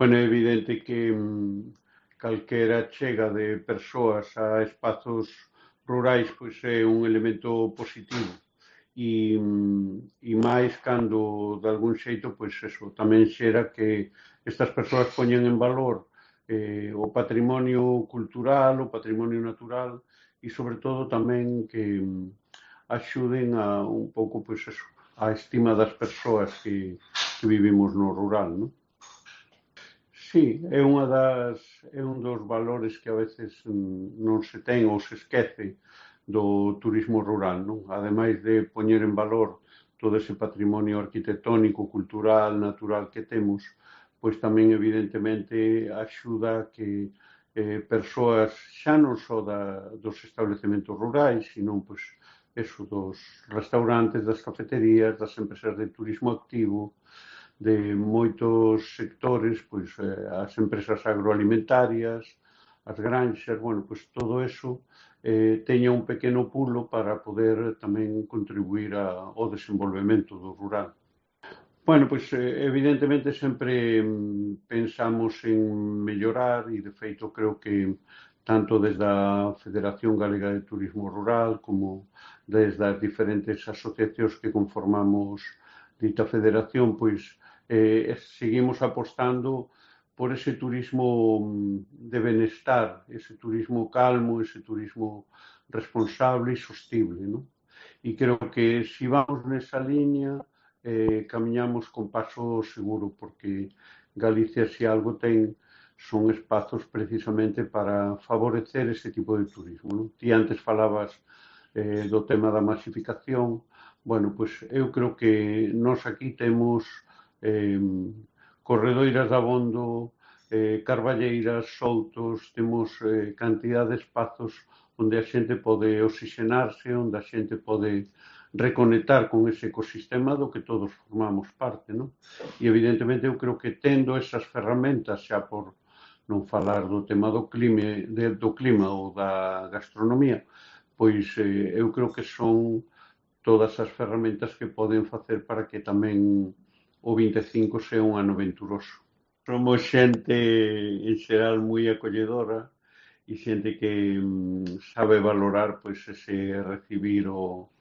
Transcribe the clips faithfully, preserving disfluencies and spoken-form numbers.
Bueno, é evidente que mm, calquera chega de persoas a espazos rurais pois é un elemento positivo e, mm, e máis cando de algún xeito pois eso tamén xera que estas persoas poñen en valor eh, o patrimonio cultural, o patrimonio natural e sobre todo tamén que mm, axuden a un pouco pois eso, a estima das persoas que, que vivimos no rural, non? Sí, é unha das é un dos valores que a veces mm, non se ten ou se esquece do turismo rural, non? Ademais de poñer en valor todo ese patrimonio arquitectónico, cultural, natural que temos, pois tamén evidentemente axuda a que eh, persoas xa non só da, dos establecementos rurais, sino pois eso dos restaurantes, das cafeterías, das empresas de turismo activo, de moitos sectores, pois eh, as empresas agroalimentarias, as granxas, bueno, pois todo eso eh, teña un pequeno pulo para poder tamén contribuir a, ao desenvolvemento do rural. Bueno, pois eh, evidentemente sempre mm, pensamos en mellorar e de feito creo que tanto desde a Federación Galega de Turismo Rural como desde as diferentes asociacións que conformamos dita federación, pois eh, seguimos apostando por ese turismo mm, de benestar, ese turismo calmo, ese turismo responsable e sostible, non? E creo que se vamos nesa liña eh, camiñamos con paso seguro, porque Galicia, se algo ten, son espazos precisamente para favorecer ese tipo de turismo, non? Ti antes falabas eh, do tema da masificación. Bueno, pois eu creo que nós aquí temos eh, corredoiras de abondo, eh, carballeiras, soltos, temos eh, cantidad de espazos onde a xente pode oxigenarse, onde a xente pode reconectar con ese ecosistema do que todos formamos parte, non? E evidentemente eu creo que tendo esas ferramentas xa por non falar do tema do clima, de, do clima ou da gastronomía, pois eh, eu creo que son todas as ferramentas que poden facer para que tamén o vinte e cinco sea un ano venturoso. Somos xente en xeral moi acolledora e xente que mm, sabe valorar pois ese recibir o,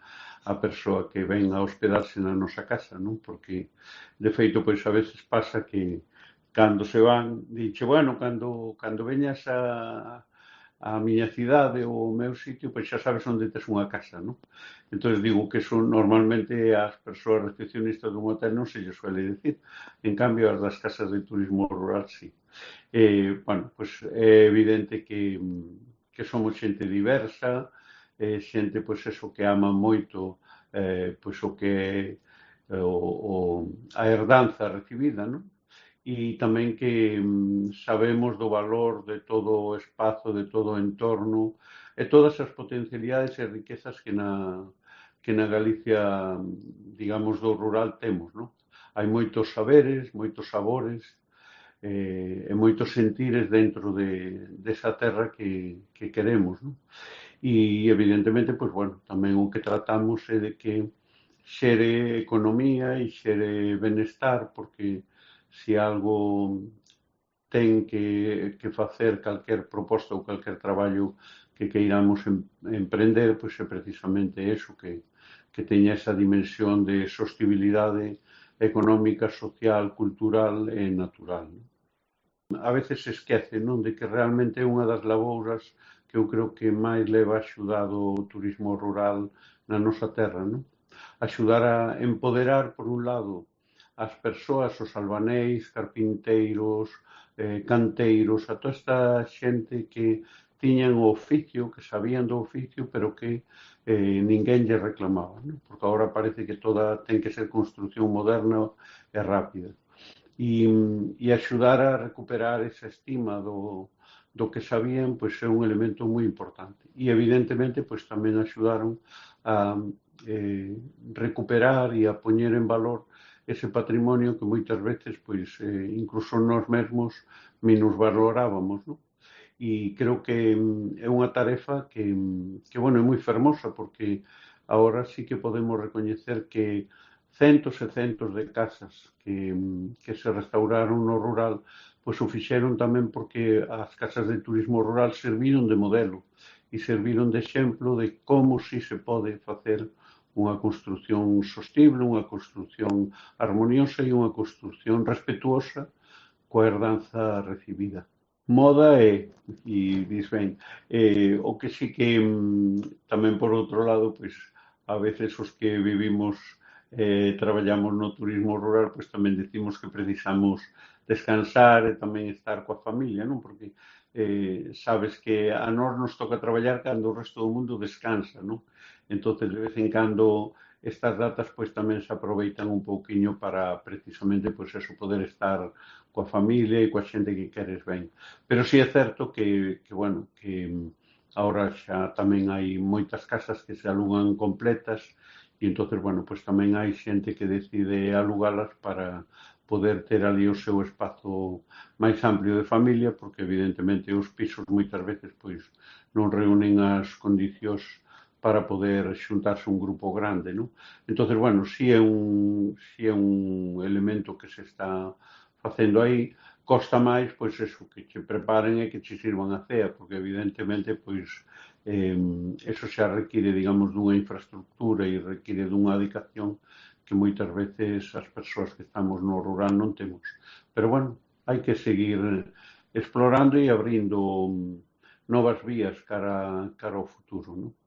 a persoa que ven a hospedarse na nosa casa, non? Porque de feito pois a veces pasa que cando se van, dixe, bueno, cando, cando veñas a, a miña cidade ou o meu sitio, pois xa sabes onde tes unha casa, non? Entón digo que eso normalmente as persoas recepcionistas dun hotel non se lle suele decir, en cambio as das casas de turismo rural sí. Eh, bueno, pois é evidente que, que somos xente diversa, eh, xente pois eso que ama moito eh, pois o que é o, o, a herdanza recibida, non? E tamén que mm, sabemos do valor de todo o espazo, de todo o entorno e todas as potencialidades e riquezas que na, que na Galicia, digamos, do rural temos, non? Hai moitos saberes, moitos sabores eh, e moitos sentires dentro de, desa terra que, que queremos, non? E evidentemente, pois, bueno, tamén o que tratamos é de que xere economía e xere benestar, porque se algo ten que, que facer calquer proposta ou calquer traballo que queiramos em, emprender, pois é precisamente eso, que, que teña esa dimensión de sostibilidade económica, social, cultural e natural, non? A veces se esquece, non, de que realmente é unha das labouras que eu creo que máis leva axudado o turismo rural na nosa terra, non? Axudar a empoderar, por un lado, as persoas, os albanéis, carpinteiros, eh, canteiros, a toda esta xente que tiñan o oficio, que sabían do oficio, pero que eh, ninguén lle reclamaba, non? Porque agora parece que toda ten que ser construcción moderna e rápida. E, e axudar a recuperar esa estima do, do que sabían, pois é un elemento moi importante. E evidentemente, pois tamén axudaron a eh, recuperar e a poñer en valor ese patrimonio que moitas veces, pois, eh, incluso nós mesmos minusvalorábamos, non? E creo que é unha tarefa que, que bueno, é moi fermosa, porque agora sí que podemos recoñecer que centos e centos de casas que, que se restauraron no rural, pois o fixeron tamén porque as casas de turismo rural serviron de modelo e serviron de exemplo de como si se pode facer unha construción sostible, unha construción armoniosa e unha construción respetuosa coa herdanza recibida. Moda é, e dis ben, eh, o que sí que mm, tamén por outro lado, pois a veces os que vivimos eh, traballamos no turismo rural, pois tamén decimos que precisamos descansar e tamén estar coa familia, non? Porque eh, sabes que a nós nos toca traballar cando o resto do mundo descansa, non? Entonces, de vez en cando, estas datas pois tamén se aproveitan un pouquiño para precisamente pois eso, poder estar coa familia e coa xente que queres ben. Pero sí é certo que, que bueno, que agora xa tamén hai moitas casas que se alugan completas e entonces, bueno, pois tamén hai xente que decide alugalas para poder ter ali o seu espazo máis amplio de familia, porque evidentemente os pisos moitas veces pois non reúnen as condicións para poder xuntarse un grupo grande, non? Entonces, bueno, si é un, si é un elemento que se está facendo aí, costa máis, pois, eso, que che preparen e que che sirvan a cea, porque evidentemente, pois, eh, eso xa require, digamos, dunha infraestructura e require dunha dedicación que moitas veces as persoas que estamos no rural non temos. Pero, bueno, hai que seguir explorando e abrindo novas vías cara, cara ao futuro, non?